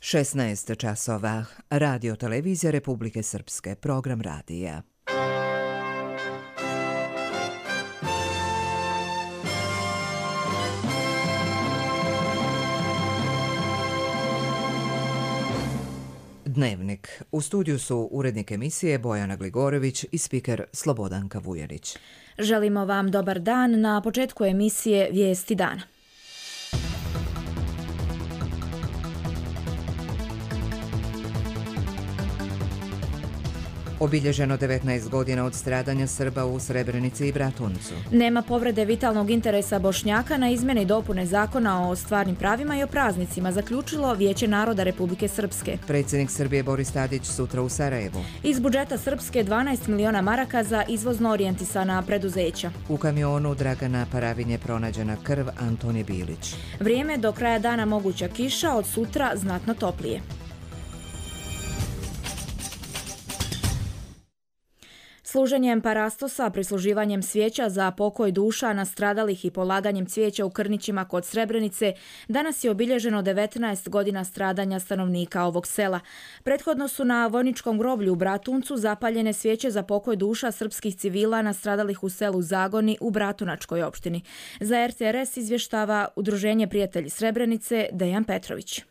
16 časova. Radio televizija Republike Srpske. Program radija. Dnevnik. U studiju su urednik emisije Bojana Gligorović i spiker Slobodanka Vujanić. Želimo vam dobar dan. Na početku emisije Vijesti dana. Obilježeno 19 godina od stradanja Srba u Srebrenici i Bratuncu. Nema povrede vitalnog interesa Bošnjaka na izmjene i dopune zakona o stvarnim pravima i o praznicima, zaključilo Vijeće naroda Republike Srpske. Predsjednik Srbije Boris Tadić sutra u Sarajevu. Iz budžeta Srpske 12 miliona maraka za izvozno orijentisana preduzeća. U kamionu Dragana Paravinje pronađena krv Antonije Bilić. Vrijeme do kraja dana moguća kiša, od sutra znatno toplije. Služenjem parastosa, prisluživanjem svijeća za pokoj duša nastradalih i polaganjem cvijeća u Krnićima kod Srebrenice, danas je obilježeno 19 godina stradanja stanovnika ovog sela. Prethodno su na vojničkom groblju u Bratuncu zapaljene svijeće za pokoj duša srpskih civila nastradalih u selu Zagoni u Bratunačkoj opštini. Za RTRS izvještava Udruženje prijatelji Srebrenice Dejan Petrović.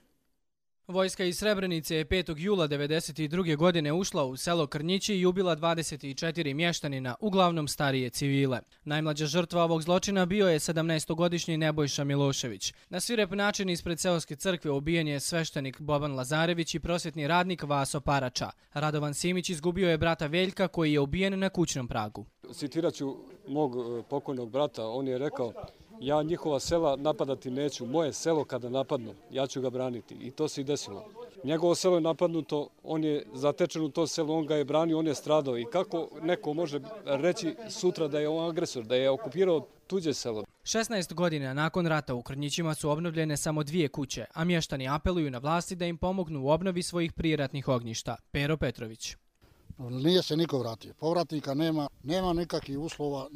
Vojska iz Srebrenice je 5. jula 1992. godine ušla u selo Krnjići i ubila 24 mještanina, uglavnom starije civile. Najmlađa žrtva ovog zločina bio je 17-godišnji Nebojša Milošević. Na svirep način ispred seoske crkve ubijen je sveštenik Boban Lazarević i prosvjetni radnik Vaso Parača. Radovan Simić izgubio je brata Veljka koji je ubijen na kućnom pragu. Citirat ću mog pokojnog brata, on je rekao: ja njihova sela napadati neću, moje selo kada napadnu, ja ću ga braniti. I to se i desilo. Njegovo selo je napadnuto, on je zatečen u to selo, on ga je branio, on je stradao. I kako neko može reći sutra da je on agresor, da je okupirao tuđe selo? 16 godina nakon rata u Krnjićima su obnovljene samo 2 kuće, a mještani apeluju na vlasti da im pomognu u obnovi svojih prijeratnih ognjišta. Pero Petrović. Nije se niko vratio. Povratnika nema nikakvih uslova,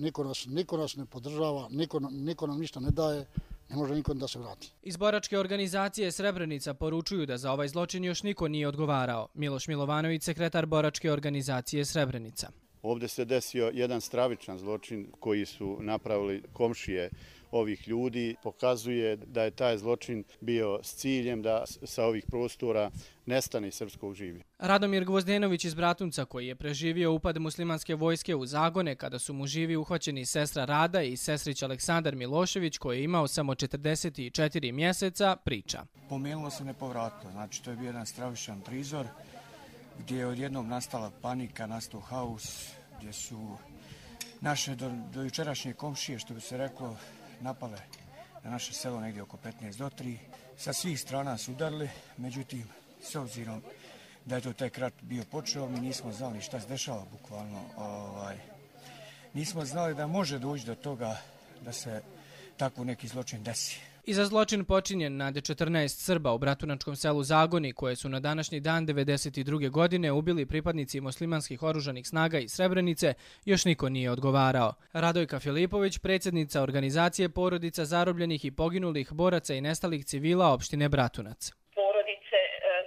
niko nas ne podržava, niko nam ništa ne daje, ne može niko da se vrati. Iz boračke organizacije Srebrenica poručuju da za ovaj zločin još niko nije odgovarao. Miloš Milovanović, sekretar boračke organizacije Srebrenica. Ovdje se desio jedan stravičan zločin koji su napravili komšije ovih ljudi. Pokazuje da je taj zločin bio s ciljem da sa ovih prostora nestane srpskog življa. Radomir Gvozdenović iz Bratunca, koji je preživio upad muslimanske vojske u Zagone kada su mu živi uhvaćeni sestra Rada i sestrić Aleksandar Milošević, koji je imao samo 44 mjeseca, priča. Pomenulo se nepovratno, znači to je bio jedan stravičan prizor gdje je odjednom nastala panika, nastao haos, gdje su naše do jučerašnje komšije, što bi se reklo, napale na naše selo negdje oko 15 do 3. Sa svih strana su udarili, međutim, s obzirom da je to tek rat bio počeo, mi nismo znali šta se dešava bukvalno. Nismo znali da može doći do toga da se tako neki zločin desi. I za zločin počinjen nad 14 Srba u Bratunačkom selu Zagoni, koje su na današnji dan 1992. godine ubili pripadnici muslimanskih oružanih snaga iz Srebrenice, još niko nije odgovarao. Radojka Filipović, predsjednica organizacije porodica zarobljenih i poginulih boraca i nestalih civila opštine Bratunac. Porodice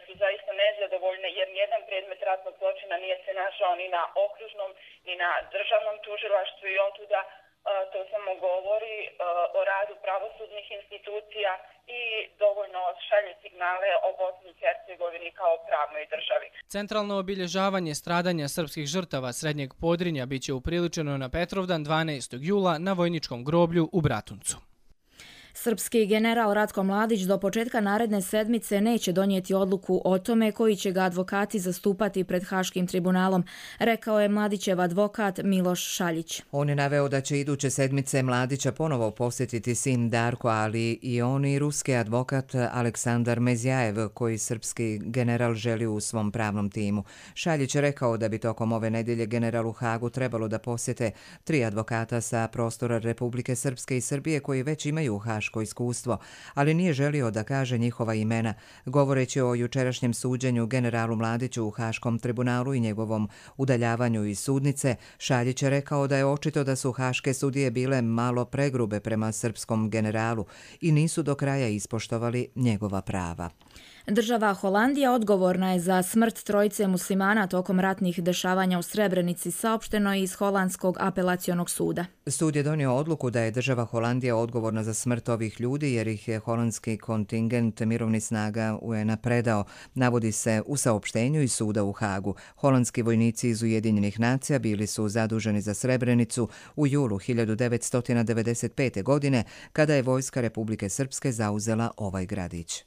su zaista nezadovoljne jer nijedan predmet ratnog zločina nije se našao ni na okružnom ni na državnom tužilaštvu i otuda to samo govori o radu pravosudnih institucija i dovoljno šalje signale o Bosni i Hercegovini kao pravnoj državi. Centralno obilježavanje stradanja srpskih žrtava Srednjeg Podrinja biće upriličeno na Petrovdan 12. jula na vojničkom groblju u Bratuncu. Srpski general Ratko Mladić do početka naredne sedmice neće donijeti odluku o tome koji će ga advokati zastupati pred Haškim tribunalom, rekao je Mladićev advokat Miloš Šaljić. On je naveo da će iduće sedmice Mladića ponovo posjetiti sin Darko, ali i on i ruski advokat Aleksandar Mezjajev, koji srpski general želi u svom pravnom timu. Šaljić je rekao da bi tokom ove nedjelje general u Hagu trebalo da posjete 3 advokata sa prostora Republike Srpske i Srbije koji već imaju haško iskustvo, ali nije želio da kaže njihova imena. Govoreći o jučerašnjem suđenju generalu Mladiću u Haškom tribunalu i njegovom udaljavanju iz sudnice, Šaljić je rekao da je očito da su haške sudije bile malo pregrube prema srpskom generalu i nisu do kraja ispoštovali njegova prava. Država Holandija odgovorna je za smrt trojice muslimana tokom ratnih dešavanja u Srebrenici, saopšteno iz Holandskog apelacionog suda. Sud je donio odluku da je država Holandija odgovorna za smrt ovih ljudi jer ih je holandski kontingent mirovnih snaga UN-a predao, navodi se u saopštenju iz suda u Hagu. Holandski vojnici iz Ujedinjenih nacija bili su zaduženi za Srebrenicu u julu 1995. godine kada je vojska Republike Srpske zauzela ovaj gradić.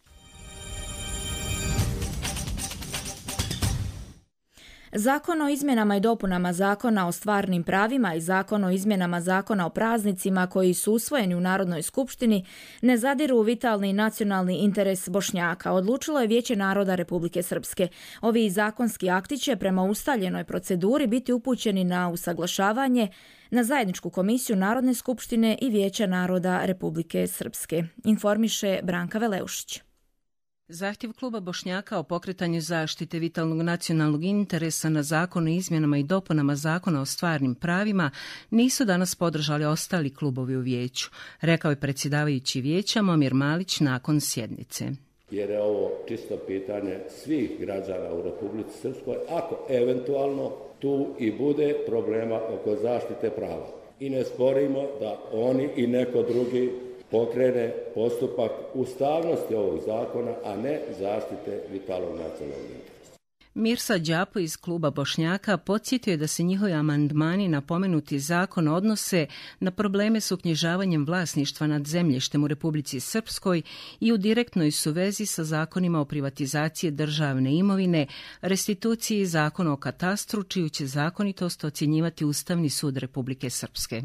Zakon o izmjenama i dopunama Zakona o stvarnim pravima i Zakon o izmjenama Zakona o praznicima koji su usvojeni u Narodnoj skupštini ne zadiru u vitalni nacionalni interes Bošnjaka, odlučilo je Vijeće naroda Republike Srpske. Ovi zakonski akti će prema ustaljenoj proceduri biti upućeni na usaglašavanje na zajedničku komisiju Narodne skupštine i Vijeća naroda Republike Srpske, informiše Branka Veleušić. Zahtjev kluba Bošnjaka o pokretanju zaštite vitalnog nacionalnog interesa na Zakon o izmjenama i dopunama Zakona o stvarnim pravima nisu danas podržali ostali klubovi u vijeću, rekao je predsjedavajući vijeća Momir Malić nakon sjednice. Jer je ovo čisto pitanje svih građana u Republici Srpskoj, ako eventualno tu i bude problema oko zaštite prava. I ne sporimo da oni i neko drugi pokrene postupak ustavnosti ovog zakona, a ne zaštite vitalnog nacionalnog interesa. Mirsa Đapo iz kluba Bošnjaka podsjetio je da se njihovi amandmani na pomenuti zakon odnose na probleme s uknjižavanjem vlasništva nad zemljištem u Republici Srpskoj i u direktnoj su vezi sa zakonima o privatizaciji državne imovine, restituciji i zakonu o katastru, čiju će zakonitost ocjenjivati Ustavni sud Republike Srpske.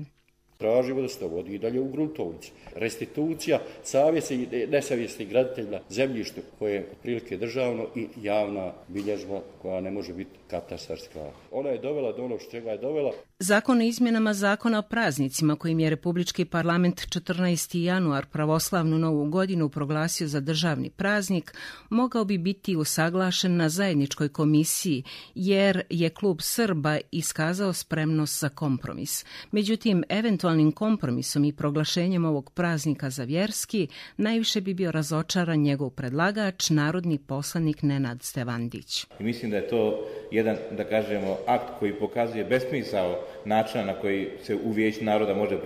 Tražimo da se to vodi i dalje u gruntovnici. Restitucija savjesti i nesavjesnih graditelja zemljištu koje je otprilike državno i javna bilježba koja ne može biti katastarska. Ona je dovela do onog čega je dovela. Zakon o izmjenama Zakona o praznicima kojim je Republički parlament 14. januar pravoslavnu novu godinu proglasio za državni praznik mogao bi biti usaglašen na zajedničkoj komisiji jer je klub Srba iskazao spremnost za kompromis. Međutim, eventualnim kompromisom i proglašenjem ovog praznika za vjerski najviše bi bio razočaran njegov predlagač, narodni poslanik Nenad Stevandić. I mislim da je to jedan, da kažemo, akt koji pokazuje besmisao načina na koji se u Vijeću naroda može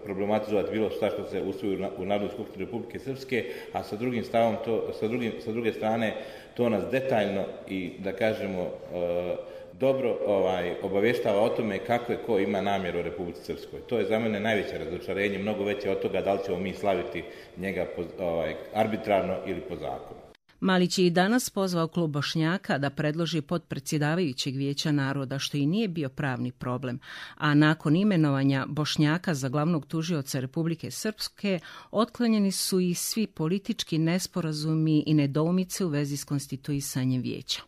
problematizovati bilo šta što se usvoji u Narodnoj skupštini Republike Srpske, a sa drugim stavom sa druge strane to nas detaljno i da kažemo dobro obavještava o tome kako je ko ima namjeru u Republici Srpskoj. To je za mene najveće razočarenje, mnogo veće od toga da li ćemo mi slaviti njega arbitrarno ili po zakonu. Malić je i danas pozvao klub Bošnjaka da predloži potpredsjedavajućeg Vijeća naroda, što i nije bio pravni problem, a nakon imenovanja Bošnjaka za glavnog tužioca Republike Srpske otklonjeni su i svi politički nesporazumi i nedoumice u vezi s konstituisanjem vijeća.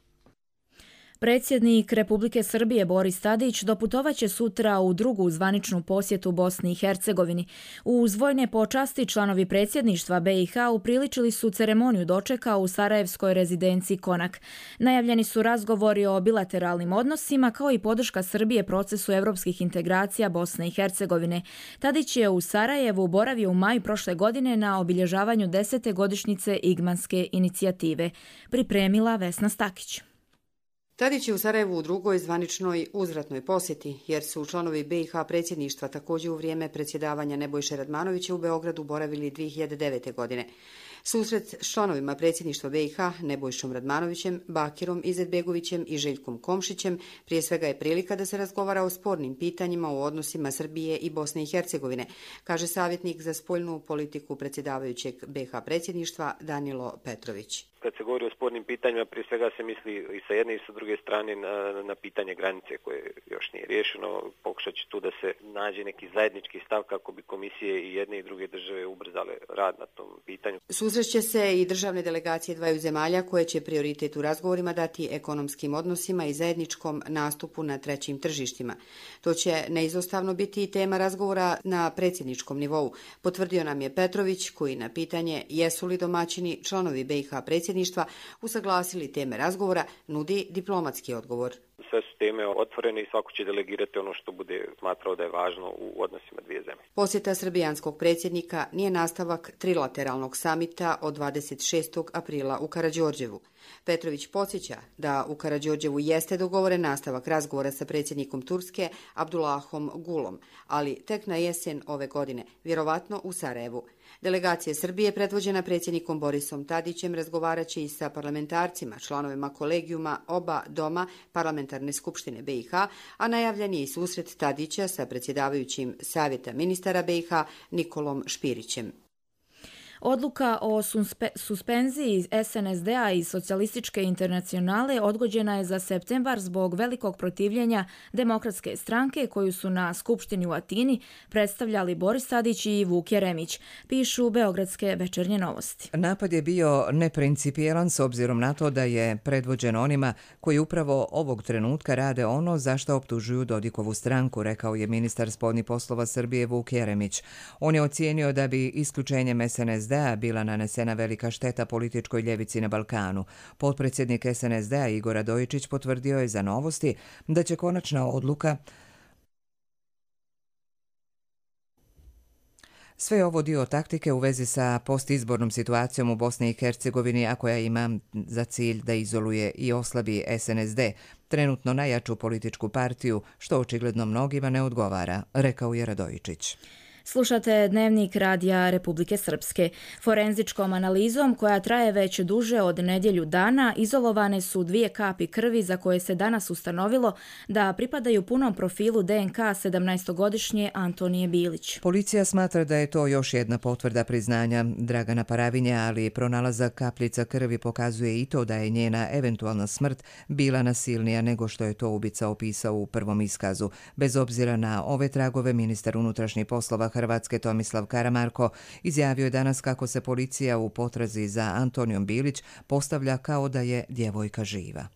Predsjednik Republike Srbije Boris Tadić doputovaće sutra u drugu zvaničnu posjetu Bosni i Hercegovini. Uz vojne počasti članovi predsjedništva BiH upriličili su ceremoniju dočeka u sarajevskoj rezidenciji Konak. Najavljeni su razgovori o bilateralnim odnosima kao i podrška Srbije procesu evropskih integracija Bosne i Hercegovine. Tadić je u Sarajevu boravio u maju prošle godine na obilježavanju 10. godišnjice Igmanske inicijative. Pripremila Vesna Stakić. Tadić je u Sarajevu u drugoj zvaničnoj uzvratnoj posjeti, jer su članovi BiH predsjedništva također u vrijeme predsjedavanja Nebojše Radmanovića u Beogradu boravili 2009. godine. Susret s članovima predsjedništva BiH Nebojšom Radmanovićem, Bakirom Izetbegovićem i Željkom Komšićem prije svega je prilika da se razgovara o spornim pitanjima u odnosima Srbije i Bosne i Hercegovine, kaže savjetnik za spoljnu politiku predsjedavajućeg BiH predsjedništva Danilo Petrović. Kad se govori o spornim pitanjima, prije svega se misli i sa jedne i sa druge strane na pitanje granice koje još nije riješeno. Pokušat će tu da se nađe neki zajednički stav kako bi komisije i jedne i druge države ubrzale rad na tom pitanju. Susreće se i državne delegacije dvaju zemalja koje će prioritet u razgovorima dati ekonomskim odnosima i zajedničkom nastupu na trećim tržištima. To će neizostavno biti i tema razgovora na predsjedničkom nivou, potvrdio nam je Petrović, koji na pitanje jesu li domaćini članovi BiH predsjedništva usaglasili teme razgovora, nudi diplomatski odgovor. Sve su teme otvorene i svako će delegirati ono što bude smatrao da je važno u odnosima dvije zemlje. Posjeta srbijanskog predsjednika nije nastavak trilateralnog samita od 26. aprila u Karađorđevu. Petrović podsjeća da u Karađorđevu jeste dogovoren nastavak razgovora sa predsjednikom Turske Abdullahom Gulom, ali tek na jesen ove godine, vjerovatno u Sarajevu. Delegacija Srbije, predvođena predsjednikom Borisom Tadićem, razgovaraće i sa parlamentarcima, članovima kolegijuma oba doma Parlamentarne skupštine BiH, a najavljen je i susret Tadića sa predsjedavajućim Savjeta ministara BiH Nikolom Špirićem. Odluka o suspenziji SNSD-a i Socijalističke internacionale odgođena je za septembar zbog velikog protivljenja Demokratske stranke koju su na Skupštini u Atini predstavljali Boris Tadić i Vuk Jeremić, pišu Beogradske večernje novosti. Napad je bio neprincipijelan s obzirom na to da je predvođen onima koji upravo ovog trenutka rade ono za što optužuju Dodikovu stranku, rekao je ministar spoljnih poslova Srbije Vuk Jeremić. On je ocijenio da bi isključenjem SNSD bila nanesena velika šteta političkoj ljevici na Balkanu. Potpredsjednik SNSD-a Igor Radojičić potvrdio je za Novosti da će konačna odluka sve ovo dio taktike u vezi sa postizbornom situacijom u Bosni i Hercegovini, a koja ima za cilj da izoluje i oslabi SNSD, trenutno najjaču političku partiju, što očigledno mnogima ne odgovara, rekao je Radojičić. Slušate Dnevnik Radija Republike Srpske. Forenzičkom analizom, koja traje već duže od nedjelju dana, izolovane su 2 kapi krvi za koje se danas ustanovilo da pripadaju punom profilu DNK 17-godišnje Antonije Bilić. Policija smatra da je to još jedna potvrda priznanja Dragana Paravinja, ali pronalazak kapljica krvi pokazuje i to da je njena eventualna smrt bila nasilnija nego što je to ubica opisao u prvom iskazu. Bez obzira na ove tragove, ministar unutrašnjih poslova Hrvatske Tomislav Karamarko izjavio je danas kako se policija u potrazi za Antonijom Bilić postavlja kao da je djevojka živa.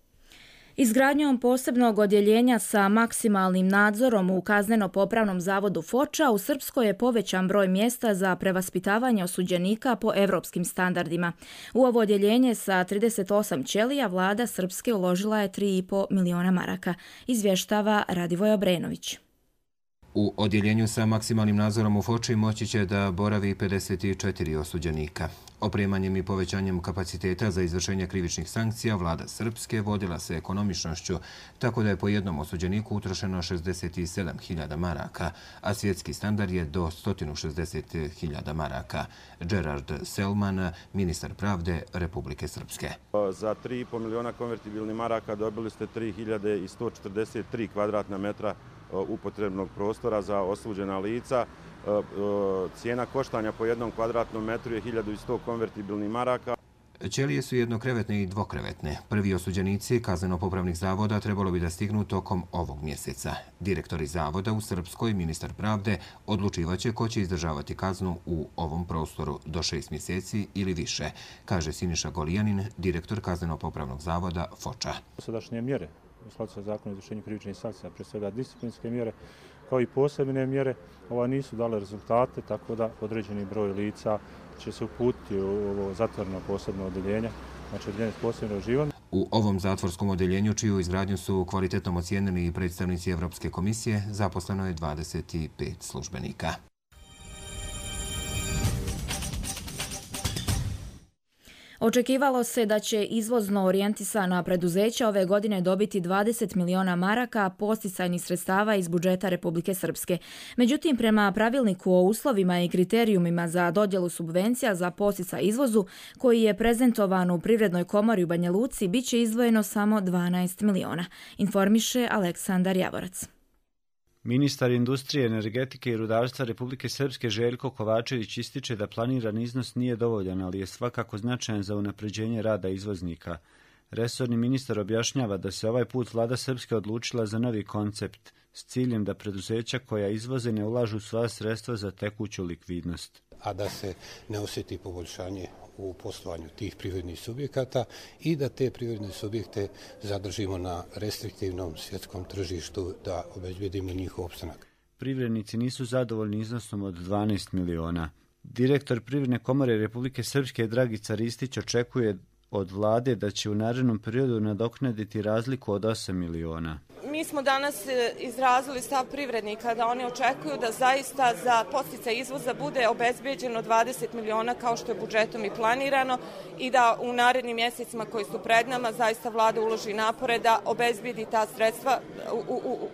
Izgradnjom posebnog odjeljenja sa maksimalnim nadzorom u kazneno-popravnom zavodu Foča u Srpskoj je povećan broj mjesta za prevaspitavanje osuđenika po evropskim standardima. U ovo odjeljenje sa 38 ćelija vlada Srpske uložila je 3,5 miliona maraka, izvještava Radivoj Obrenović. U odjeljenju sa maksimalnim nadzorom u Foči moći će da boravi 54 osuđenika. Opremanjem i povećanjem kapaciteta za izvršenje krivičnih sankcija vlada Srpske vodila se ekonomičnošću, tako da je po jednom osuđeniku utrošeno 67.000 maraka, a svjetski standard je do 160.000 maraka. Gerard Selman, ministar pravde Republike Srpske. Za 3,5 miliona konvertibilnih maraka dobili ste 3.143 kvadratna metra upotrebnog prostora za osuđena lica. Cijena koštanja po jednom kvadratnom metru je 1100 konvertibilnih maraka. Ćelije su jednokrevetne i dvokrevetne. Prvi osuđenici kazneno-popravnih zavoda trebalo bi da stignu tokom ovog mjeseca. Direktori zavoda u Srpskoj, ministar pravde, odlučivaće ko će izdržavati kaznu u ovom prostoru do 6 mjeseci ili više, kaže Siniša Golijanin, direktor kazneno-popravnog zavoda Foča. Sadašnje mjere u skladu sa zakonom o izvršenju krivičnih sankcija, pre svega disciplinske mjere, kao i posebne mjere, nisu dale rezultate, tako da određeni broj lica će se uputiti u ovo zatvoreno posebno odeljenje, znači odeljenje s posebnim režimom. U ovom zatvorskom odeljenju, čiju izgradnju su kvalitetno ocijenili i predstavnici Evropske komisije, zaposleno je 25 službenika. Očekivalo se da će izvozno orijentisana preduzeća ove godine dobiti 20 miliona maraka posticajnih sredstava iz budžeta Republike Srpske. Međutim, prema pravilniku o uslovima i kriterijumima za dodjelu subvencija za posticaj izvozu, koji je prezentovan u Privrednoj komori u Banja Luci, bit će izdvojeno samo 12 miliona, informiše Aleksandar Javorac. Ministar industrije, energetike i rudarstva Republike Srpske Željko Kovačević ističe da planiran iznos nije dovoljan, ali je svakako značajan za unapređenje rada izvoznika. Resorni ministar objašnjava da se ovaj put vlada Srpske odlučila za novi koncept s ciljem da preduzeća koja izvoze ne ulažu sva sredstva za tekuću likvidnost. A da se ne osjeti poboljšanje u poslovanju tih privrednih subjekata i da te privredne subjekte zadržimo na restriktivnom svjetskom tržištu, da obezbedimo njihov opstanak. Privrednici nisu zadovoljni iznosom od 12 miliona. Direktor Privredne komore Republike Srpske Dragica Ristić očekuje od vlade da će u narednom periodu nadoknaditi razliku od 8 miliona. Mi smo danas izrazili stav privrednika da oni očekuju da zaista za podsticaj izvoza bude obezbeđeno 20 miliona kao što je budžetom i planirano i da u narednim mjesecima koji su pred nama zaista vlada uloži napore da obezbedi ta sredstva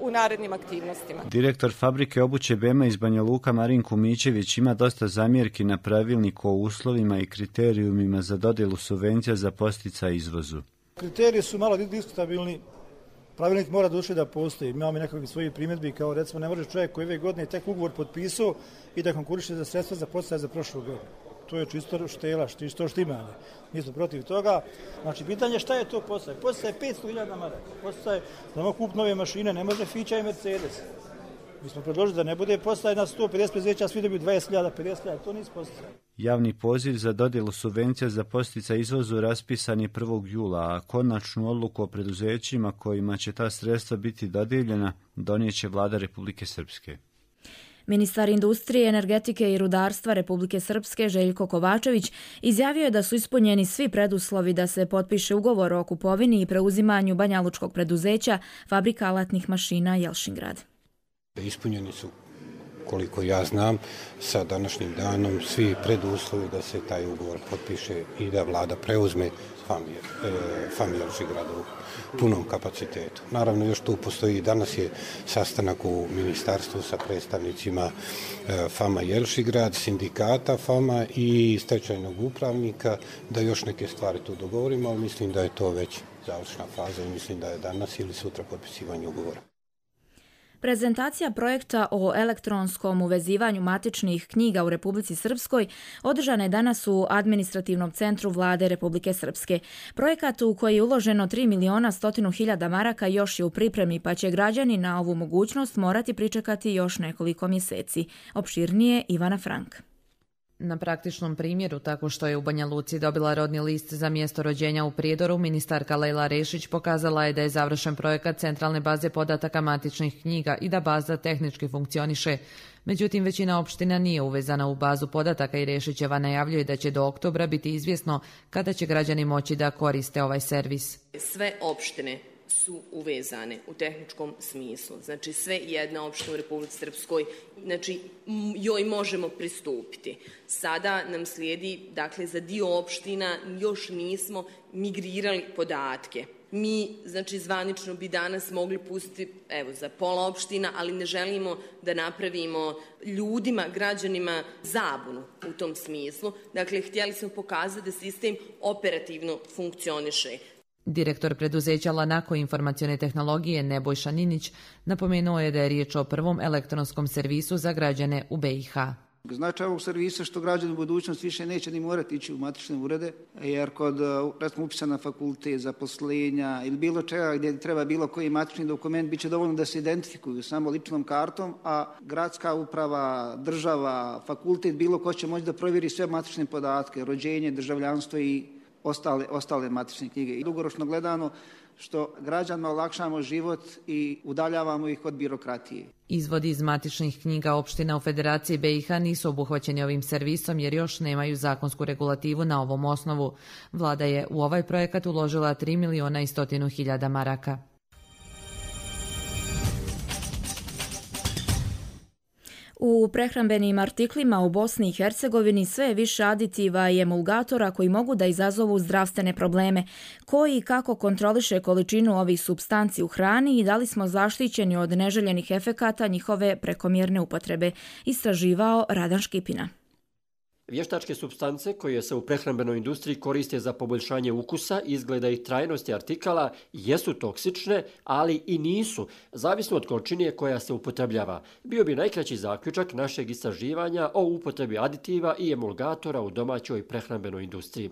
u narednim aktivnostima. Direktor fabrike obuće Bema iz Banja Luka Marin Kumićević ima dosta zamjerki na pravilnik o uslovima i kriterijumima za dodjelu subvencija za podsticaj izvozu. Kriteriji su malo diskutabilni. Pravilnik mora doći da postoji. Imamo nekakve svoje primjedbi, kao recimo ne može čovjek koji ove godine tek ugovor potpisao i da konkuriše za sredstva za podsticaj za prošlu godinu. To je čisto štela, čisto štimanje. Nismo protiv toga. Znači, pitanje šta je to podsticaj? Podsticaj je 500.000 maraka. Podsticaj da mogu kupiti nove mašine, ne može Fića i Mercedes. Mi smo predložili da ne bude podsticaj na 150 preduzeća, svi dobiju 20.000, 50.000, to nisu podsticaj. Javni poziv za dodjelu subvencija za podsticaj izvozu raspisan je 1. jula, a konačnu odluku o preduzećima kojima će ta sredstva biti dodijeljena donijeće vlada Republike Srpske. Ministar industrije, energetike i rudarstva Republike Srpske Željko Kovačević izjavio je da su ispunjeni svi preduslovi da se potpiše ugovor o kupovini i preuzimanju banjalučkog preduzeća Fabrika alatnih mašina Jelšingrad. Ispunjeni su, koliko ja znam, sa današnjim danom svi preduslovi da se taj ugovor potpiše i da vlada preuzme FAM Jelšingrad u punom kapacitetu. Naravno, još tu postoji, danas je sastanak u ministarstvu sa predstavnicima FAM Jelšingrad, sindikata FAM i stečajnog upravnika, da još neke stvari tu dogovorimo, ali mislim da je to već završna faza i mislim da je danas ili sutra potpisivanje ugovora. Prezentacija projekta o elektronskom uvezivanju matičnih knjiga u Republici Srpskoj održana je danas u administrativnom centru vlade Republike Srpske. Projekat u koji je uloženo 3.100.000 maraka još je u pripremi, pa će građani na ovu mogućnost morati pričekati još nekoliko mjeseci. Opširnije Ivana Frank. Na praktičnom primjeru, tako što je u Banja Luci dobila rodni list za mjesto rođenja u Prijedoru, ministarka Lejla Rešić pokazala je da je završen projekat centralne baze podataka matičnih knjiga i da baza tehnički funkcioniše. Međutim, većina opština nije uvezana u bazu podataka i Rešićeva najavljuje da će do oktobra biti izvjesno kada će građani moći da koriste ovaj servis. Sve opštine su uvezane u tehničkom smislu. Znači sve jedna opština u Republici Srpskoj, znači joj možemo pristupiti. Sada nam slijedi, dakle za dio opština još nismo migrirali podatke. Mi, znači zvanično bi danas mogli pustiti, evo za pola opština, ali ne želimo da napravimo ljudima, građanima zabunu u tom smislu. Dakle, htjeli smo pokazati da sistem operativno funkcioniše. Direktor preduzeća Lanako informacione tehnologije Nebojša Ninić napomenuo je da je riječ o prvom elektronskom servisu za građane u BiH. Značaj ovog servisa što građani u budućnosti više neće ni morati ići u matične urede, jer kod recimo upisa na fakultet, zaposlenja ili bilo čega gdje treba bilo koji matični dokument bit će dovoljno da se identifikuju samo ličnom kartom, a gradska uprava, država, fakultet, bilo ko će moći da provjeri sve matične podatke, rođenje, državljanstvo i ostale matične knjige. I dugoročno gledano što građanima olakšamo život i udaljavamo ih od birokratije. Izvodi iz matičnih knjiga opština u Federaciji BiH nisu obuhvaćeni ovim servisom jer još nemaju zakonsku regulativu na ovom osnovu. Vlada je u ovaj projekat uložila 3.100.000 maraka. U prehrambenim artiklima u Bosni i Hercegovini sve je više aditiva i emulgatora koji mogu da izazovu zdravstvene probleme. Koji i kako kontroliše količinu ovih supstanci u hrani i da li smo zaštićeni od neželjenih efekata njihove prekomjerne upotrebe, istraživao Radan Škipina. Vještačke supstance koje se u prehrambenoj industriji koriste za poboljšanje ukusa, izgleda i trajnosti artikala jesu toksične, ali i nisu, zavisno od količine koja se upotrebljava. Bio bi najkraći zaključak našeg istraživanja o upotrebi aditiva i emulgatora u domaćoj prehrambenoj industriji.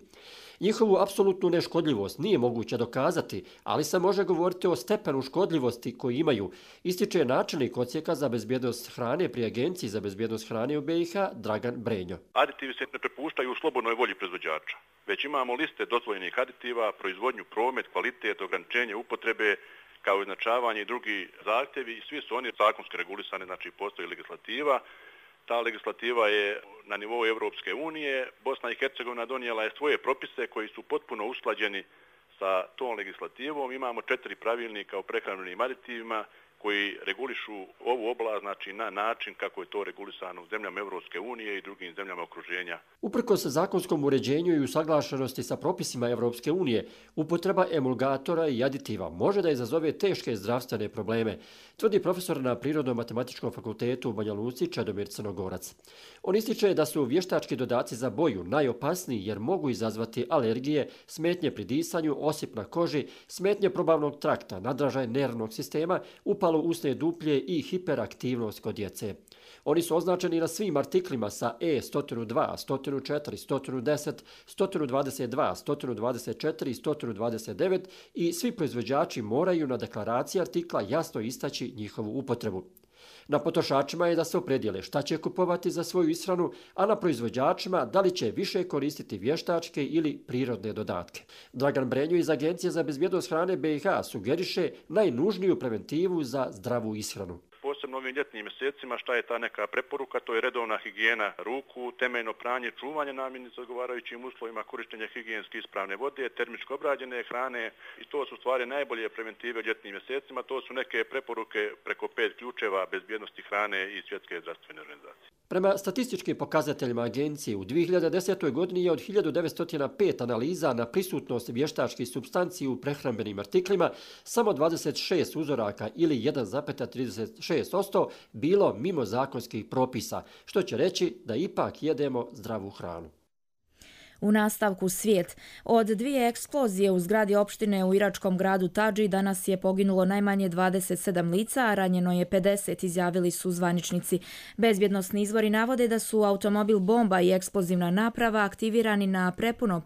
Njihovu apsolutnu neškodljivost nije moguće dokazati, ali se može govoriti o stepenu škodljivosti koji imaju, ističe načelnik odsjeka za bezbjednost hrane pri Agenciji za bezbjednost hrane u BiH Dragan Brenjo. Aditivi se ne prepuštaju u slobodnoj volji proizvođača, već imamo liste dozvoljenih aditiva, proizvodnju, promet, kvalitet, ograničenje upotrebe, kao i označavanje i drugi zahtjevi i svi su oni zakonski regulisani, znači postoji legislativa. Ta legislativa je na nivou Europske unije. Bosna i Hercegovina donijela je svoje propise koji su potpuno usklađeni sa tom legislativom. Imamo 4 pravilnika o prehrambenim aditivima koji regulišu ovu oblast, znači na način kako je to regulisano u zemljama Evropske unije i drugim zemljama okruženja. Uprkos zakonskom uređenju i usaglašenosti sa propisima Evropske unije, upotreba emulgatora i aditiva može da izazove teške zdravstvene probleme, tvrdi profesor na Prirodno-matematičkom fakultetu u Banja Luci Čedomir Crnogorac. On ističe da su vještački dodaci za boju najopasniji jer mogu izazvati alergije, smetnje pri disanju, osip na koži, smetnje probavnog trakta, nadražaj nervnog sistema, upalu usne duplje i hiperaktivnost kod djece. Oni su označeni na svim artiklima sa E102, 104, 110, 122, 124 i 129 i svi proizvođači moraju na deklaraciji artikla jasno istaći njihovu upotrebu. Na potrošačima je da se opredijele šta će kupovati za svoju ishranu, a na proizvođačima da li će više koristiti vještačke ili prirodne dodatke. Dragan Brenju iz Agencije za bezbjednost hrane BiH sugeriše najnužniju preventivu za zdravu ishranu. Posebno ovim ljetnim mjesecima šta je ta neka preporuka, to je redovna higijena ruku, temeljno pranje, čuvanje namirnica s odgovarajućim uslovima, korištenje higijenski ispravne vode, termičko obrađene hrane i to su stvari najbolje preventive u ljetnim mjesecima. To su neke preporuke preko 5 ključeva bezbjednosti hrane i Svjetske zdravstvene organizacije. Prema statističkim pokazateljima agencije, u 2010. godini je od 1905 analiza na prisutnost vještačkih supstanci u prehrambenim artiklima samo 26 uzoraka ili 1,36% bilo mimo zakonskih propisa, što će reći da ipak jedemo zdravu hranu. U nastavku svijet. Od 2 eksplozije u zgradi opštine u iračkom gradu Tadži danas je poginulo najmanje 27 lica, a ranjeno je 50, izjavili su zvaničnici. Bezbjednosni izvori navode da su automobil bomba i eksplozivna naprava aktivirani na prepuno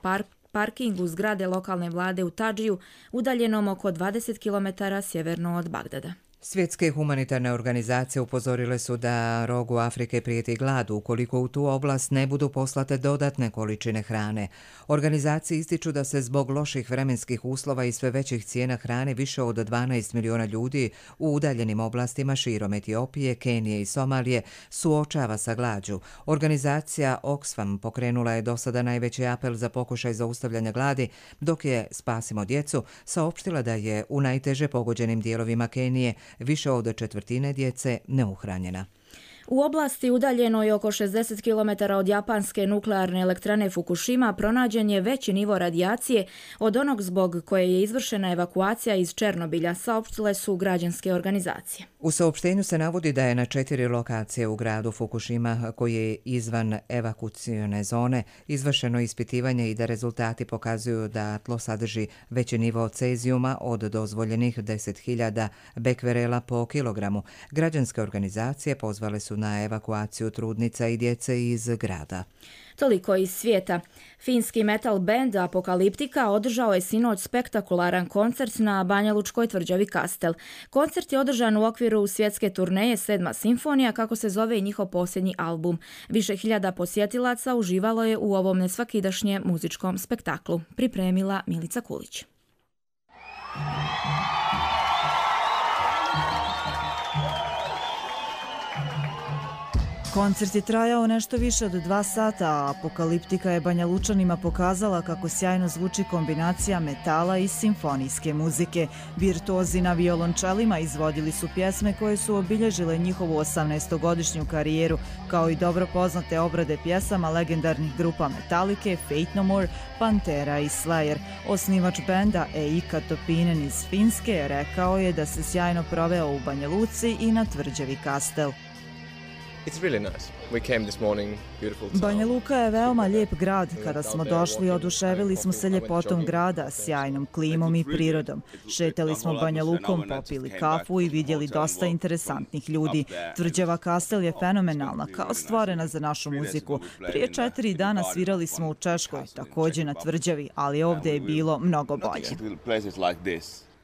parkingu zgrade lokalne vlade u Tadžiju, udaljenom oko 20 km sjeverno od Bagdada. Svjetske humanitarne organizacije upozorile su da rogu Afrike prijeti glad ukoliko u tu oblast ne budu poslate dodatne količine hrane. Organizacije ističu da se zbog loših vremenskih uslova i sve većih cijena hrane više od 12 miliona ljudi u udaljenim oblastima širom Etiopije, Kenije i Somalije suočava sa glađu. Organizacija Oxfam pokrenula je do sada najveći apel za pokušaj zaustavljanja gladi, dok je Spasimo djecu saopštila da je u najteže pogođenim dijelovima Kenije više od 1/4 djece neuhranjena. U oblasti udaljenoj oko 60 km od japanske nuklearne elektrane Fukushima pronađen je veći nivo radijacije od onog zbog koje je izvršena evakuacija iz Černobilja, saopštile su građanske organizacije. U saopštenju se navodi da je na 4 lokacije u gradu Fukushima, koji je izvan evakucione zone, izvršeno ispitivanje i da rezultati pokazuju da tlo sadrži veći nivo cezijuma od dozvoljenih 10.000 bekverela po kilogramu. Građanske organizacije pozvale su na evakuaciju trudnica i djece iz grada. Toliko iz svijeta. Finski metal band Apokaliptika održao je sinoć spektakularan koncert na banjalučkoj tvrđavi Kastel. Koncert je održan u okviru svjetske turneje 7. simfonija, kako se zove i njihov posljednji album. Više hiljada posjetilaca uživalo je u ovom nesvakidašnjem muzičkom spektaklu. Pripremila Milica Kulić. Koncert je trajao nešto više od 2 sata, a Apokaliptika je Banjalučanima pokazala kako sjajno zvuči kombinacija metala i simfonijske muzike. Virtuozi na violončelima izvodili su pjesme koje su obilježile njihovu 18-godišnju karijeru, kao i dobro poznate obrade pjesama legendarnih grupa Metallica, Fate No More, Pantera i Slayer. Osnivač benda Eika Topinen iz Finske rekao je da se sjajno proveo u Banja Luci i na tvrđavi Kastel. Banja Luka je veoma lijep grad. Kada smo došli, oduševili smo se ljepotom grada, sjajnom klimom i prirodom. Šetali smo Banja Lukom, popili kafu i vidjeli dosta interesantnih ljudi. Tvrđava Kastel je fenomenalna, kao stvorena za našu muziku. Prije 4 dana svirali smo u Češkoj, također na tvrđavi, ali ovdje je bilo mnogo bolje.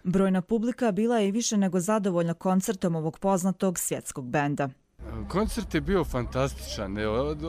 Brojna publika bila je i više nego zadovoljna koncertom ovog poznatog svjetskog benda. Koncert je bio fantastičan.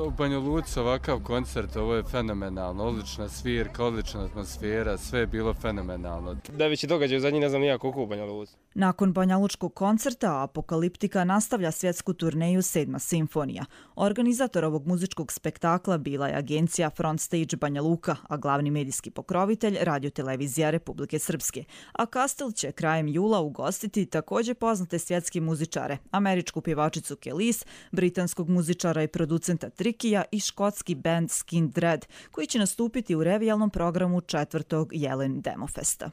U Banja Luci ovakav koncert, ovo je fenomenalno. Odlična svirka, odlična atmosfera, sve je bilo fenomenalno. Najveći događaj u zadnji, ne znam nijak koliko u Banja Luci. Nakon banjalučkog koncerta, Apokaliptika nastavlja svjetsku turneju 7. simfonija. Organizator ovog muzičkog spektakla bila je agencija Front Stage Banja Luka, a glavni medijski pokrovitelj Radiotelevizija Republike Srpske. A Kastel će krajem jula ugostiti također poznate svjetske muzičare, američku pjevačicu Kelis, britanskog muzičara i producenta Trikija i škotski band Skin Dread, koji će nastupiti u revijalnom programu 4. Jelen Demofesta.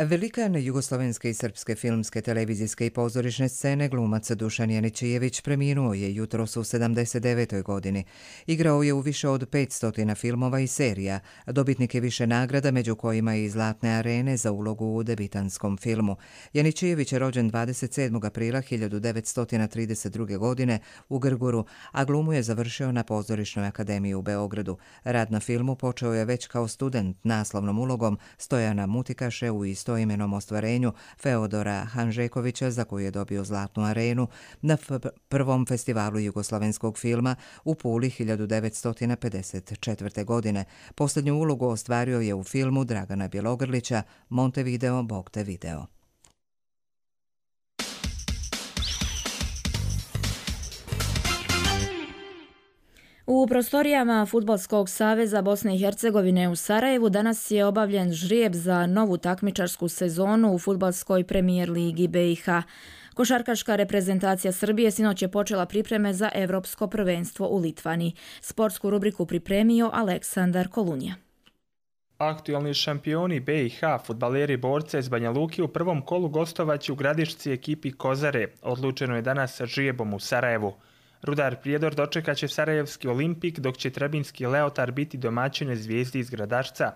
Velikan jugoslovenske i srpske filmske, televizijske i pozorišne scene glumac Dušan Janićijević preminuo je jutros u 79. godini. Igrao je u više od 500 filmova i serija. Dobitnik je više nagrada, među kojima i Zlatne arene za ulogu u debitanskom filmu. Janićijević je rođen 27. aprila 1932. godine u Grguru, a glumu je završio na Pozorišnoj akademiji u Beogradu. Rad na filmu počeo je već kao student naslovnom ulogom Stojana Mutikaše u istoimenom ostvarenju Feodora Hanžekovića, za koju je dobio Zlatnu arenu na prvom festivalu jugoslovenskog filma u Puli 1954. godine. Posljednju ulogu ostvario je u filmu Dragana Bjelogrlića Montevideo, Bog te video. U prostorijama Fudbalskog saveza Bosne i Hercegovine u Sarajevu danas je obavljen žrijeb za novu takmičarsku sezonu u Fudbalskoj premijer ligi BiH. Košarkaška reprezentacija Srbije sinoć je počela pripreme za Evropsko prvenstvo u Litvani. Sportsku rubriku pripremio Aleksandar Kolunja. Aktualni šampioni BiH, fudbaleri borce iz Banja Luki u prvom kolu gostovaće u Gradišci ekipi Kozare. Odlučeno je danas žrijebom u Sarajevu. Rudar Prijedor dočekaće Sarajevski Olimpik, dok će Trebinski Leotar biti domaćine Zvijezdi iz Gradašca.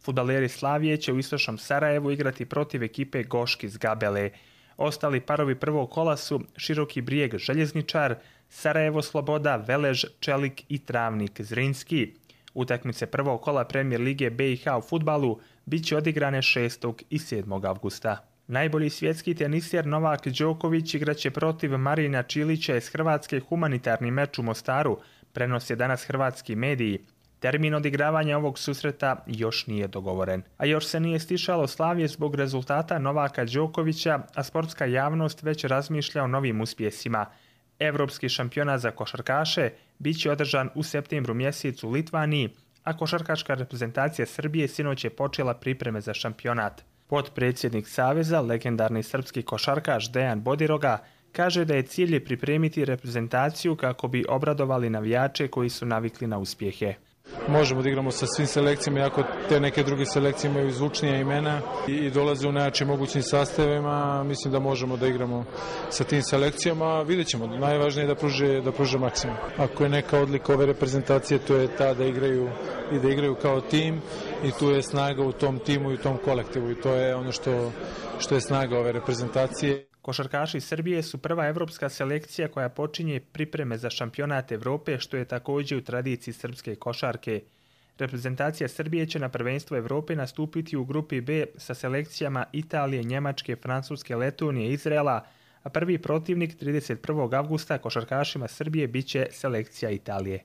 Fudbaleri Slavije će u istočnom Sarajevu igrati protiv ekipe Goški iz Gabele. Ostali parovi prvog kola su Široki Brijeg Željezničar, Sarajevo Sloboda, Velež, Čelik i Travnik Zrinski. Utakmice prvog kola Premijer lige BiH u fudbalu bit će odigrane 6. i 7. avgusta. Najbolji svjetski teniser Novak Đoković igraće protiv Marina Čilića iz Hrvatske humanitarni meč u Mostaru, prenose danas hrvatski mediji. Termin odigravanja ovog susreta još nije dogovoren. A još se nije stišalo slavlje zbog rezultata Novaka Đokovića, a sportska javnost već razmišlja o novim uspjesima. Evropski šampionat za košarkaše bit će održan u septembru mjesecu u Litvaniji, a košarkaška reprezentacija Srbije sinoć je počela pripreme za šampionat. Potpredsjednik Saveza, legendarni srpski košarkaš Dejan Bodiroga, kaže da je cilj pripremiti reprezentaciju kako bi obradovali navijače koji su navikli na uspjehe. Možemo da igramo sa svim selekcijama, iako te neke druge selekcije imaju zvučnija imena i dolaze u najjačim mogućim sastavima. Mislim da možemo da igramo sa tim selekcijama. Vidjet ćemo. Najvažnije je da pruže maksimum. Ako je neka odlika ove reprezentacije, to je ta da igraju kao tim i tu je snaga u tom timu i u tom kolektivu i to je ono što je snaga ove reprezentacije. Košarkaši Srbije su prva evropska selekcija koja počinje pripreme za šampionat Evrope, što je također u tradiciji srpske košarke. Reprezentacija Srbije će na prvenstvo Evrope nastupiti u grupi B sa selekcijama Italije, Njemačke, Francuske, Letonije i Izraela, a prvi protivnik 31. avgusta košarkašima Srbije biće selekcija Italije.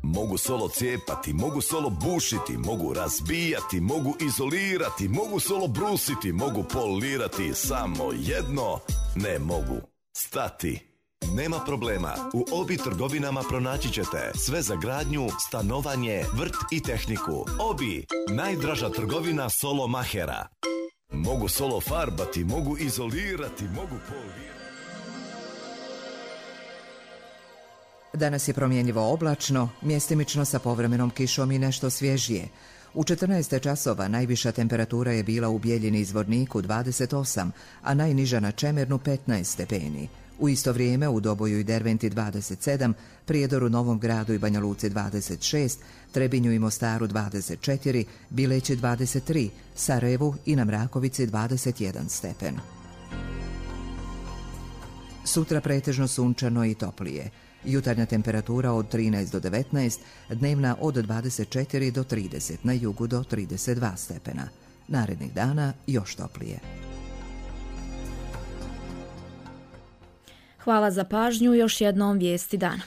Mogu solo cijepati, mogu solo bušiti, mogu razbijati, mogu izolirati, mogu solo brusiti, mogu polirati, samo jedno ne mogu stati. Nema problema, u Obi trgovinama pronaći ćete sve za gradnju, stanovanje, vrt i tehniku. Obi, najdraža trgovina solo mahera. Mogu solo farbati, mogu izolirati, mogu polirati. Danas je promjenjivo oblačno, mjestimično sa povremenom kišom i nešto svježije. U 14 časova najviša temperatura je bila u Bijeljini i Zvorniku 28, a najniža na Čemernu 15 stepeni. U isto vrijeme u Doboju i Derventi 27, Prijedoru, Novom Gradu i Banja Luci 26, Trebinju i Mostaru 24, Bileći 23, Sarajevu i na Mrakovici 21 stepen. Sutra pretežno sunčano i toplije. Jutarnja temperatura od 13 do 19, dnevna od 24 do 30, na jugu do 32 stepena. Narednih dana još toplije. Hvala za pažnju, još jednom vijesti dana.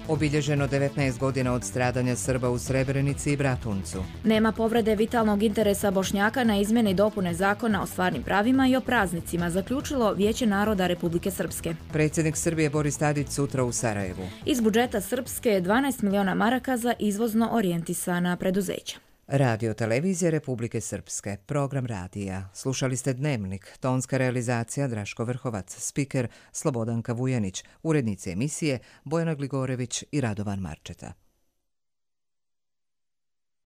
Obilježeno 19 godina od stradanja Srba u Srebrenici i Bratuncu. Nema povrede vitalnog interesa Bošnjaka na izmjene i dopune zakona o stvarnim pravima i o praznicima, zaključilo Vijeće naroda Republike Srpske. Predsjednik Srbije Boris Tadić sutra u Sarajevu. Iz budžeta Srpske 12 miliona maraka za izvozno orijentisana preduzeća. Radio televizije Republike Srpske, program radija. Slušali ste Dnevnik, tonska realizacija Draško Vrhovac, spiker Slobodanka Vujanić, urednici emisije Bojana Gligorević i Radovan Marčeta.